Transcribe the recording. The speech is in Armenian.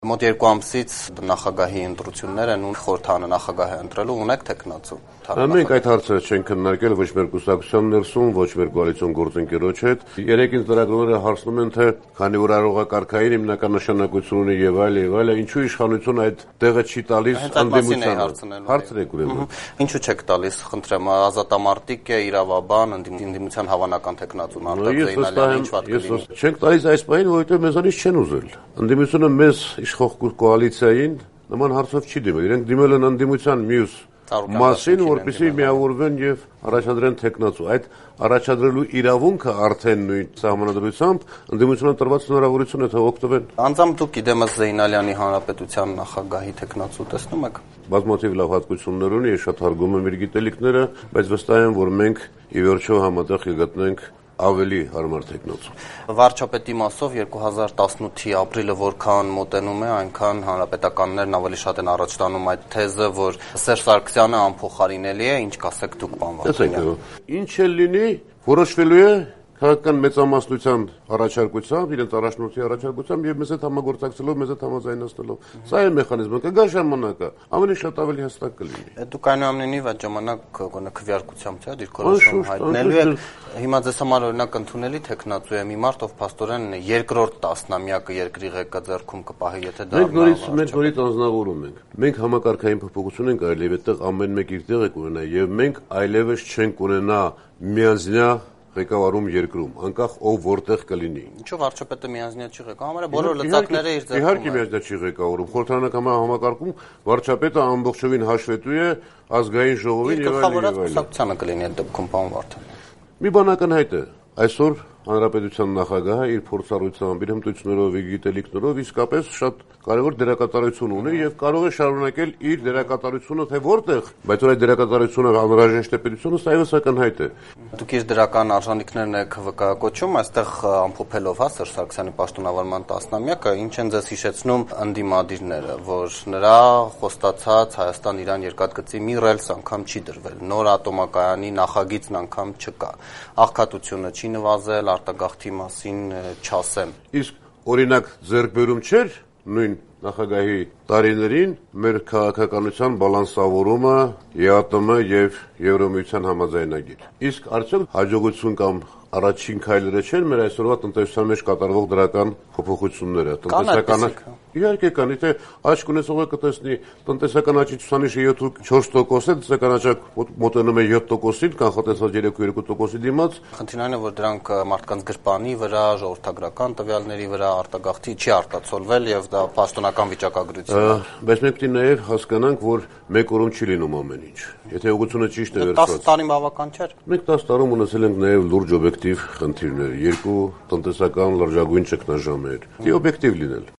Մոտ 2 ամսից նախագահի ընտրություններ են ու խորհրդարանը նախագահ է ընտրելու, ունեք թեկնածու։ Մենք այդ հարցը չենք քննարկել ոչ մեր կուսակցության ներսում, ոչ մեր կոալիցիոն գործընկերոջ հետ։ Երեք ինձ լրագրողները հարցնում են, թե քանի որ առողջակարգային հիմնական նշանակություն ունի եւ այլ, ինչու իշխանությունը այդ տեղը չի տալիս ընդդիմությանը։ Հարցն է ուրեմն։ Ինչու չեք տալիս, խնդրեմ, ազատամարտիկ է, իրավաբան, ընդդիմության հավանական թեկնածուն Արտակ Զեյնալյանը ինչ վատ կլինի։ Չենք տալիս այս պահին, որովհետեւ մեզանից չեն ուզել։ Ընդդիմությունը մեզ իշխող կոալիցիային նման հարցով չի դիմել։ Իրենք դիմել են ընդդիմության մյուս մասին, որպեսզի միավորվեն եւ առաջադրեն թեկնածու։ Այդ առաջադրելու իրավունքը արդեն նույն սահմանադրությամբ ընդդիմությունը տրված հնարավորություն է, թե օգտվեն։ Անձամբ դուք իդեմս Զեյնալյանի հանրապետության նախագահի թեկնածու տեսնում եք։ Բազմաթիվ լավ հատկություններ ունի, ես շատ հարգում եմ իր գիտելիքները, բայց վստահ եմ, որ մենք ի վերջո համատեղ կգտնենք ավելի հարմար թեկնածու։ Վարչապետի մասով 2018-ի ապրիլը որքան մոտենում է, այնքան հանրապետականներն ավելի շատ են առաջ տանում այդ թեզը, որ Սերժ Սարգսյանը անփոխարինելի է, ինչ կասեք դուք, պարոն Վարդանյան։ Ինչ էլ լինի, որոշվելու է քաղաքական մեծամասնության առաջարկությամբ, իրենց առաջնորդի առաջարկությամբ եւ մեզ հետ համագործակցելով, մեզ հետ համաձայնացնելով։ Սա է մեխանիզմը, կգա ժամանակը, ավելի շատ ավելի հստակ կլինի։ Դուք այնուամենայնիվ այդ ժամանակ գոնե քվեարկությամբ չէ՞ դիրքորոշում հայտնելու եք։ Հիմա ձեզ համար օրինակ ընդունելի թեկնածու է մի մարդ, ով փաստորեն երկրորդ տասնամյակը երկրի ղեկը ձեռքում կպահի, եթե դա մենք նորից անձնավորում ենք։ Մենք համակարգային փոփոխություն ենք այլև այդտեղ ամեն մեկ իր տեղը կունենա եւ մենք այլևս չենք ունենա միանձնյա ղեկավարում երկրում, անկախ ով որտեղ կլինի։ Ինչու վարչապետը միանձնյա չի ղեկավարում, բոլոր լծակները իր ձեռքում են։ Իհարկե միանձնյա չի ղեկավարում, խորհրդարանական համակարգում վարչապետը ամբողջովին հաշվետու է ազգային ժողովին եւ այլն։ Գլխավորած կուսակցությանը կլինի այդ դեպքում, պարոն Վարդանյան։ Մի բան ակնհայտ է, այսօր հանրապետության նախագահը իր փորձառությամբ, իր հմտություններով, իր գիտելիքներով իսկապես շատ կարևոր դերակատարություն ունի եւ կարող է շարունակել իր դերակատարությունը թե որտեղ, բայց որ այդ դերակատարությունը անհրաժեշտ է պետությունը, սա եւս ակնհայտ է։ Դուք իր դրական արժանինքներն եք վկայակոչում, այստեղ ամփոփելով Սերժ Սարգսյանի պաշտոնավարման տասնամյակը, ինչ են ձեզ հիշեցնում ընդդիմադիրները, որ նրա խոստացած Հայաստան-Իրան երկաթգծի մի ռելս անգամ չի դրվել, նոր ատոմակայանի նախագիծն անգամ չկա, աղքատությունը չի նվազել, արտագաղթի մասին չասեմ։ Իսկ օրինակ ձեռքբերում չէր նույն նախագահի տարիներին մեր քաղաքականության բալանսավորումը, ԵԱՏՄ եւ Եվրոմիության համաձայնագիր։ Իսկ արդյոք հաջողություն կամ առաջին քայլերը չեն մեր այսօրվա տնտեսության մեջ կատարվող դրական փոփոխությունները, տնտեսականը։ Իհարկե կան, եթե աճք ունեցողը կտեսնի տնտեսական աճի ցուցանիշը 4% է, տնտեսական աճը մոտենում է 7%-ին, կանխատեսված 3.2%-ի դիմաց։ Խնդիրն այն է, որ դրանք մարդկանց գրպանի վրա, ժողովրդագրական տվյալների վրա արտագաղթի չի արտացոլվել եւ դա պաշտոնական վիճակագրություն է։ Բայց մենք պետք է նաեւ հասկանանք, որ մեկ օրում չի լինում ամեն ինչ։ Եթե ուղղությունը ճիշտ է վերցված։ 10 տարին բավական չէր։ Մենք 10 տարում ունեցել ենք նաեւ լուրջ օբյեկտիվ խնդիրներ, երկու տնտեսական լրջագույն ճգնաժամեր։ Դե օբյեկտիվ լինել։